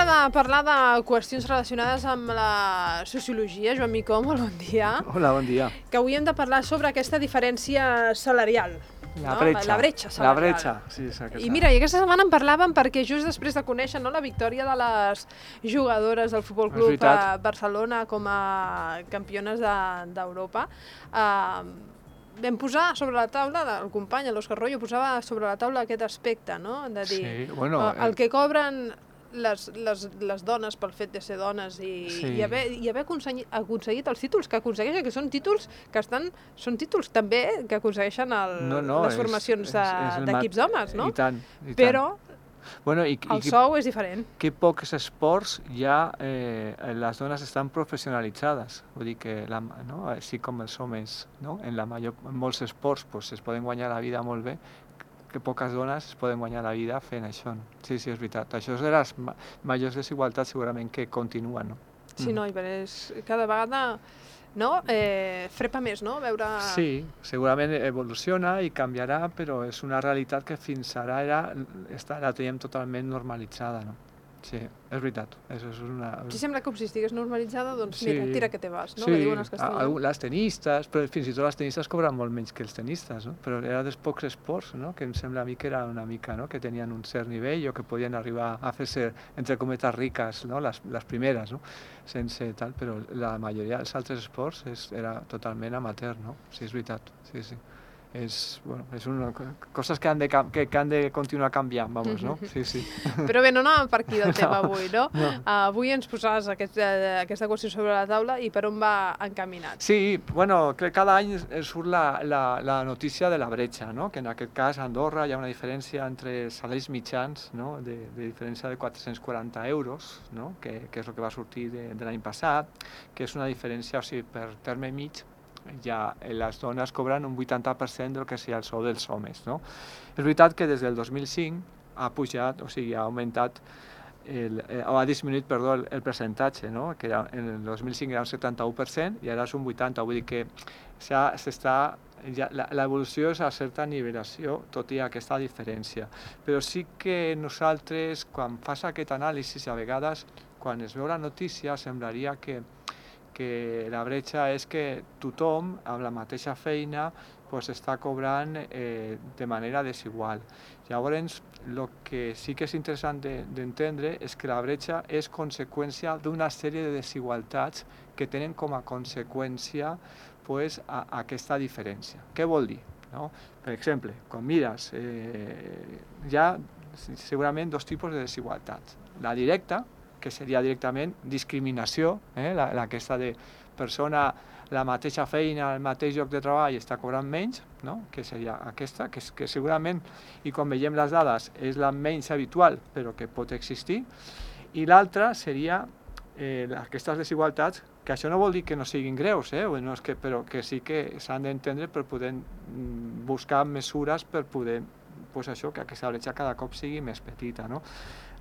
hora de parlar de qüestions relacionades amb la sociologia. Joan Micó, molt bon dia. Hola, bon dia. Que avui hem de parlar sobre aquesta diferència salarial. La bretxa. La bretxa salarial. La bretxa, sí, és aquesta. I mira, i aquesta setmana en parlàvem perquè just després de conèixer la victòria de les jugadores del Futbol Club Barcelona com a campiones d'Europa, vam posar sobre la taula, el company, l'Òscar Royo, posava sobre la taula aquest aspecte, no? De dir, sí, bueno, el que cobren les dones pel fet de ser dones i haver aconseguit els títols que aconsegueixen, que són títols que són títols també que aconsegueixen les formacions d'equips d'homes, no? I tant. Però bueno, el sou és diferent. Que pocs esports ja les dones estan professionalitzades, vull dir que així com els homes, no? En molts esports es poden guanyar la vida molt bé, que poques dones es poden guanyar la vida fent això. No? Sí, és veritat. Això és de les majors desigualtats segurament que continuen. No? Sí, no, i cada vegada frepa més, no? Veure... Sí, segurament evoluciona i canviarà, però és una realitat que fins ara la teníem totalment normalitzada. No? Sí, és veritat. Si sembla com si estigués normalitzada, doncs mira, tira que te vas, no? Sí, que diuen els castellans. Les tenistes, però fins i tot les tenistes cobren molt menys que els tenistes, no? Però era dels pocs esports, no? Que em sembla a mi que era una mica, no? Que tenien un cert nivell o que podien arribar a fer-se, entre cometes, riques, no? Les primeres, no? Sense tal, però la majoria dels altres esports era totalment amateur, no? Sí, és veritat, sí. És una coses que han de continuar canviant, vamos, no? Sí. Però bé, no anàvem per aquí del tema avui, no? Avui ens posaves aquesta qüestió sobre la taula i per on va encaminat. Sí, bueno, cada any surt la notícia de la bretxa, no? Que en aquest cas a Andorra hi ha una diferència entre salaris mitjans, no? De diferència de 440 euros, no? Que és el que va sortir de l'any passat, que és una diferència, o sigui, per terme mig, ja les dones cobren un 80% del que seria el sou dels homes, no? És veritat que des del 2005 ha pujat, o sigui, ha augmentat ha disminuït, el percentatge, no? Que en el 2005 era un 71% i ara és un 80%, vull dir que l'evolució és a certa nivelació, tot i aquesta diferència. Però sí que nosaltres, quan fas aquest anàlisi, a vegades, quan es veu la notícia, semblaria que la bretxa és que tothom, amb la mateixa feina, està cobrant de manera desigual. Llavors, el que sí que és interessant d'entendre és que la bretxa és conseqüència d'una sèrie de desigualtats que tenen com a conseqüència aquesta diferència. Què vol dir? Per exemple, quan mires, hi ha segurament dos tipus de desigualtats. La directa, que seria directament discriminació, aquesta de persona, la mateixa feina, el mateix lloc de treball està cobrant menys, no? Que seria aquesta, que segurament, i quan veiem les dades, és la menys habitual, però que pot existir, i l'altra seria aquestes desigualtats, que això no vol dir que no siguin greus, però que sí que s'han d'entendre per poder buscar mesures per poder que aquesta bretxa cada cop sigui més petita. No?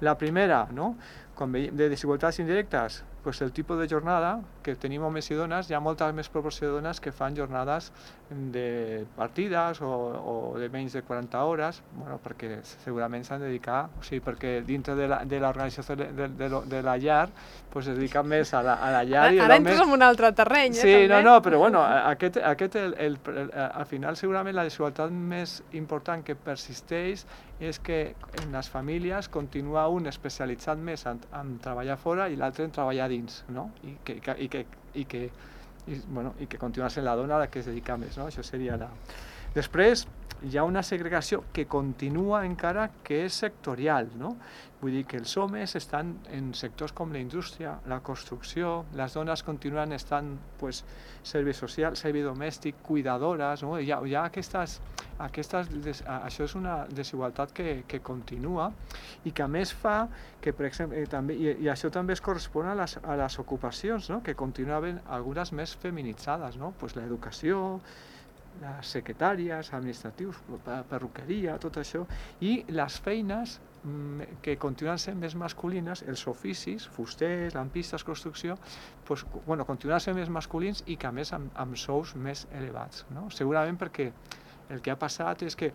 La primera, no? Quan veiem de desigualtats indirectes, el tipus de jornada que tenim homes i dones, hi ha molta més proporció de dones que fan jornades de partides o de menys de 40 hores, perquè segurament s'han de dedicar, o sigui, perquè dintre de l'organització de la llar es dedica més a la llar i ara entres en un altre terreny, sí, també. Però al final segurament la desigualtat més important que persisteix és que en les famílies continua un especialitzat més en treballar fora i l'altre en treballar dins, no? I que continua sent la dona la que es dedica més, no? Això seria la... Després hi ha una segregació que continua encara que és sectorial, no? Vull dir que els homes estan en sectors com la indústria, la construcció, les dones continuen estant servei social, servei domèstic, cuidadores, no? Hi ha això és una desigualtat que continua i que a més fa que, per exemple, i això també es correspon a les ocupacions, no? Que continuen havent algunes més feminitzades, no? L'educació, les secretàries, administratius, perruqueria, tot això, i les feines que continuen sent més masculines, els oficis, fusters, lampistes, construcció, continuen sent més masculins i que a més amb sous més elevats. No? Segurament perquè el que ha passat és que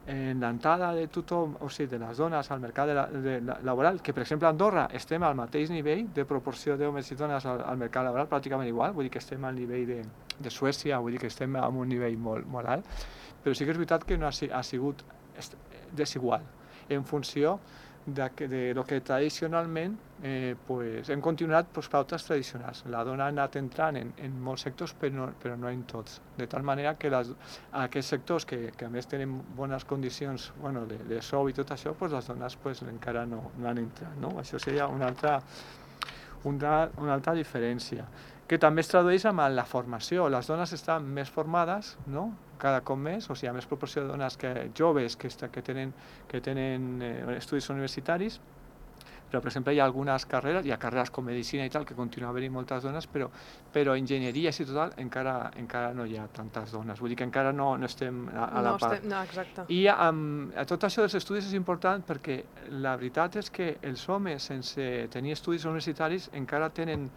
en l'entrada de tothom, o sigui, de les dones al mercat laboral, que per exemple a Andorra estem al mateix nivell de proporció d'homes i dones al mercat laboral, pràcticament igual, vull dir que estem al nivell de Suècia, vull dir que estem en un nivell molt alt, però sí que és veritat que no ha sigut desigual en funció de lo que tradicionalment pues, hem continuat pues, pautes tradicionals. La dona ha anat entrant en molts sectors, però no en tots. De tal manera que aquests sectors que a més tenen bones condicions de sou i tot això, pues, les dones pues, encara no han entrat. No? Això seria una altra diferència, que també es tradueix amb la formació. Les dones estan més formades, no? Cada cop més, o sigui, hi ha més proporció de dones joves que tenen estudis universitaris, però per exemple hi ha algunes carreres, hi ha carreres com medicina i tal, que continua havent-hi moltes dones, però enginyeria i total encara no hi ha tantes dones, vull dir que encara no estem a la part. No, exacte. I tot això dels estudis és important perquè la veritat és que els homes sense tenir estudis universitaris encara tenen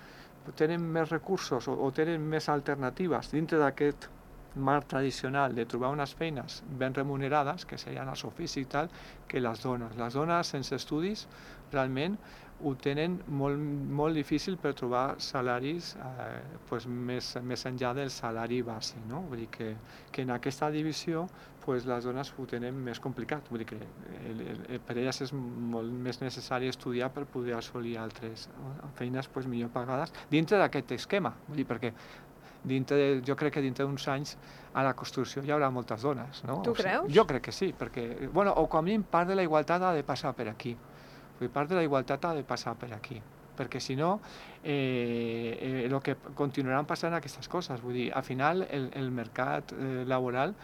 més recursos o tenen més alternatives dintre d'aquest marc tradicional de trobar unes feines ben remunerades, que serien els oficis i tal, que les dones. Les dones sense estudis realment ho tenen molt difícil per trobar salaris pues, més enllà del salari bàsic. No? Vull dir que en aquesta divisió pues, les dones ho tenen més complicat. Vull dir que per elles és molt més necessari estudiar per poder assolir altres feines pues, millor pagades dintre d'aquest esquema. Vull dir, perquè jo crec que dintre d'uns anys a la construcció hi haurà moltes dones. No? Tu creus? Jo crec que sí, perquè, o com a mínim part de la igualtat ha de passar per aquí. Part de la igualtat ha de passar per aquí, perquè si no, el que continuaran passant aquestes coses. Vull dir, al final el mercat laboral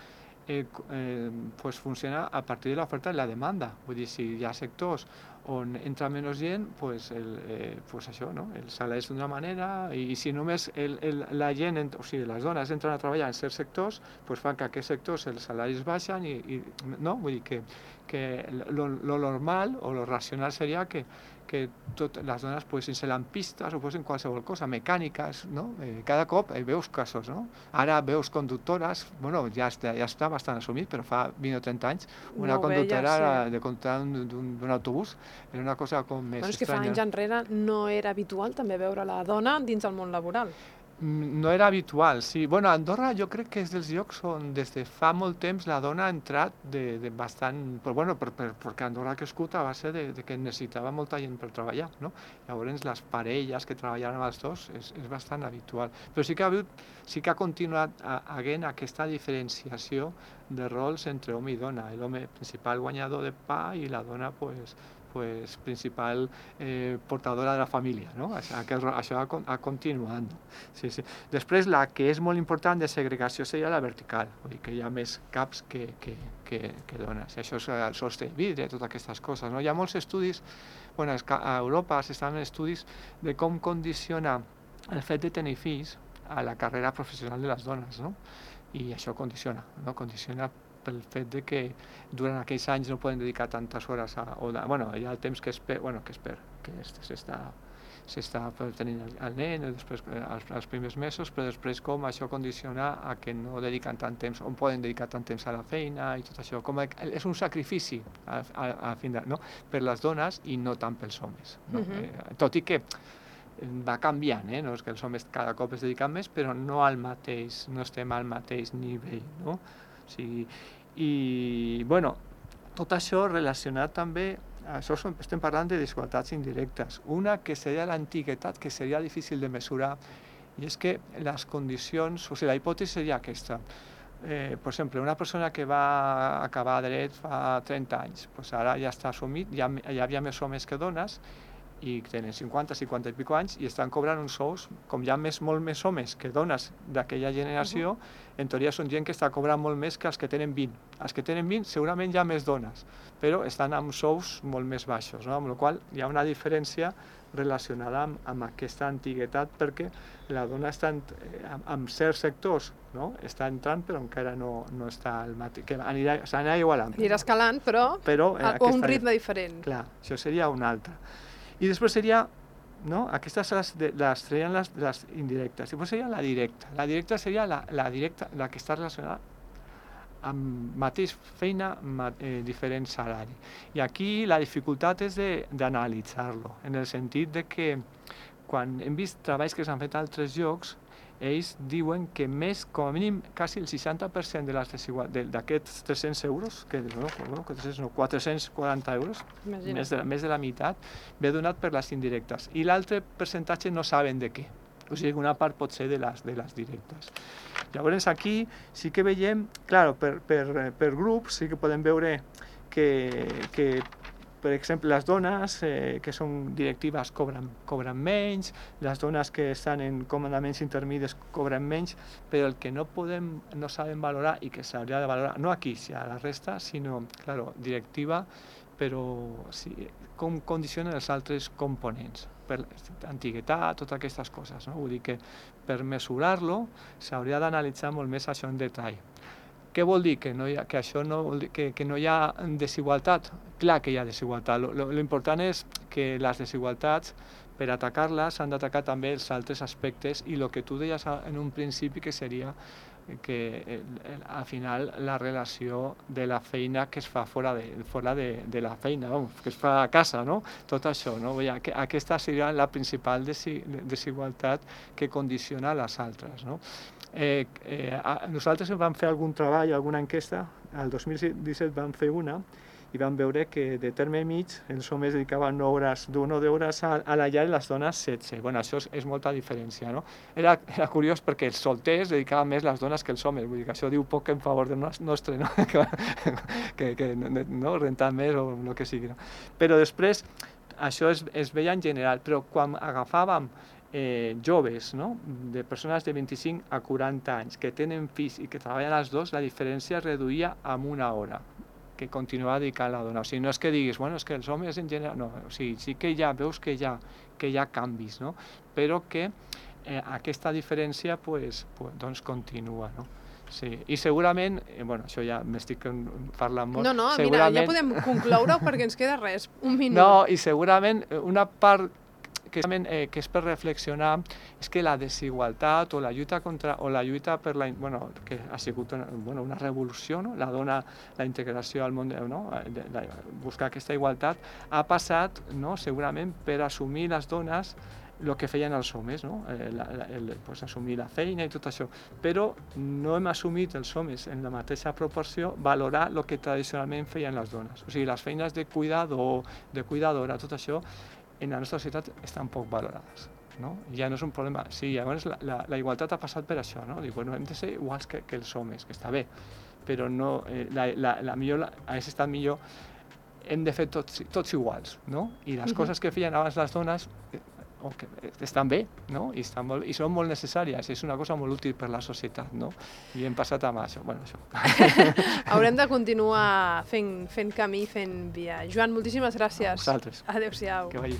pues funciona a partir de l'oferta i la demanda. Vull dir, si hi ha sectors on entra menys gent, pues això, no? El salari és d'una manera, i si només la gent, o sigui, les dones entren a treballar en certs sectors, pues fan que aquests sectors els salaris baixen no? Vull dir que lo normal o lo racional seria que les dones posin lampistes o posin qualsevol cosa, mecàniques, no? Cada cop veus casos, no? Ara veus conductores, ja està bastant assumit, però fa 20 o 30 anys una conductora de conductar d'un autobús era una cosa com més estranya. És que fa anys enrere no era habitual també veure la dona dins del món laboral. No era habitual, sí. A Andorra jo crec que és dels llocs on des de fa molt temps la dona ha entrat bastant... perquè Andorra ha crescut a base de que necessitava molta gent per treballar, no? Llavors les parelles que treballaven amb els dos és bastant habitual. Però sí que ha continuat havent aquesta diferenciació de rols entre home i dona. L'home principal guanyador de pa i la dona principal portadora de la família, no? Això ha continuat. Sí. Després, la que és molt important de segregació seria la vertical, vull dir que hi ha més caps que dones. Això és el sostre de vidre, totes aquestes coses. No? Hi ha molts estudis, a Europa s'estan fent estudis de com condiciona el fet de tenir fills a la carrera professional de les dones, no? I això condiciona pel fet de que durant aquells anys no poden dedicar tantes hores hi ha el temps que s'està tenint el nen, després els primers mesos, però després com això condiciona a que no dediquen tant temps, on poden dedicar tant temps a la feina i tot això, és un sacrifici no? Per les dones i no tant pels homes, no? Tot i que va canviant, no? És que els homes cada cop es dediquen més, però no estem al mateix nivell, no? Tot això relacionat també, estem parlant de desigualtats indirectes. Una que seria l'antiguitat, que seria difícil de mesurar, i és que les condicions, o sigui, la hipòtesi seria aquesta. Per exemple, una persona que va acabar dret fa 30 anys, ara ja està assumit, hi havia més homes que dones, i tenen 50 i pico anys i estan cobrant uns sous, com hi ha molt més homes que dones d'aquella generació, en teoria són gent que està cobrant molt més que els que tenen 20. Els que tenen 20 segurament hi ha més dones, però estan amb sous molt més baixos, no? Amb la qual cosa hi ha una diferència relacionada amb aquesta antiguitat, perquè la dona està en certs sectors, no? Està entrant, però encara no està al mateix, que s'anirà igualant. Anirà escalant, però a un ritme diferent. Clar, això seria una altra. I després seria, no? Aquestes les treien les indirectes. Després seria la directa. La directa seria la que està relacionada amb mateix feina, diferent salari. I aquí la dificultat és d'analitzar-lo, en el sentit de que quan hem vist treballs que s'han fet a altres llocs, ells diuen que més, com a mínim, quasi el 60% d'aquests 300 euros, que 440 euros, més de la meitat, ve donat per les indirectes. I l'altre percentatge no saben de què. O sigui, una part pot ser de les directes. Llavors aquí sí que veiem, clar, per grups sí que podem veure que per exemple, les dones que són directives cobren menys, les dones que estan en comandaments intermedis cobren menys, però el que no sabem valorar i que s'hauria de valorar, no aquí, si a la resta, sinó, claro, directiva, però sí, com condicionen els altres components, per antiguitat, totes aquestes coses, no? Vull dir que per mesurar-lo s'hauria d'analitzar molt més això en detall. Què vol dir? Que no hi ha desigualtat? Clar que hi ha desigualtat. L'important és que les desigualtats, per atacar-les, s'han d'atacar també els altres aspectes i el que tu deies en un principi, que seria que al final la relació de la feina que es fa fora de la feina, que es fa a casa, no? Tot això, no? Aquesta seria la principal desigualtat que condiciona les altres, no? Nosaltres vam fer algun treball, alguna enquesta, el 2017 vam fer una i vam veure que de terme mig els homes dedicaven 9 hores a la llar i les dones 16. Bueno, això és molta diferència, no? Era curiós perquè els solters dedicaven més les dones que els homes, vull dir que això diu poc en favor del nostre, no? que no rentar més o el que sigui, no? Però després això es veia en general, però quan agafàvem joves, no? De persones de 25 a 40 anys que tenen fills i que treballen els dos, la diferència es reduïa amb 1 hora que continuava dedicant la dona. O sigui, no és que diguis, bueno, és que els homes en general... No, o sigui, sí que veus que hi ha canvis, no? Però que aquesta diferència doncs continua, no? Sí, i segurament, bueno, això ja m'estic parlant molt... No, mira, ja podem concloure perquè ens queda res, un minut. No, i segurament una part que és per reflexionar és que la desigualtat o la lluita per la... Bueno, que ha sigut una revolució, no? La dona, la integració al món, no? Buscar aquesta igualtat, ha passat, no? Segurament per assumir les dones el que feien els homes, no? Assumir la feina i tot això, però no hem assumit els homes en la mateixa proporció valorar el que tradicionalment feien les dones. O sigui, les feines de cuidador, de cuidadora, tot això, en la nostra societat estan poc valorades, no? Ja no és un problema. Sí, llavors la igualtat ha passat per això, no? Dic, bueno, hem de ser iguals que els homes, que està bé, però no, hagués estat millor, hem de fer tots iguals, no? I les coses que feien abans les dones estan bé, no? I són molt necessàries, és una cosa molt útil per la societat, no? I hem passat amb això, bueno, això. Haurem de continuar fent camí, fent via. Joan, moltíssimes gràcies. A vosaltres. Adéu-siau. Que vagi.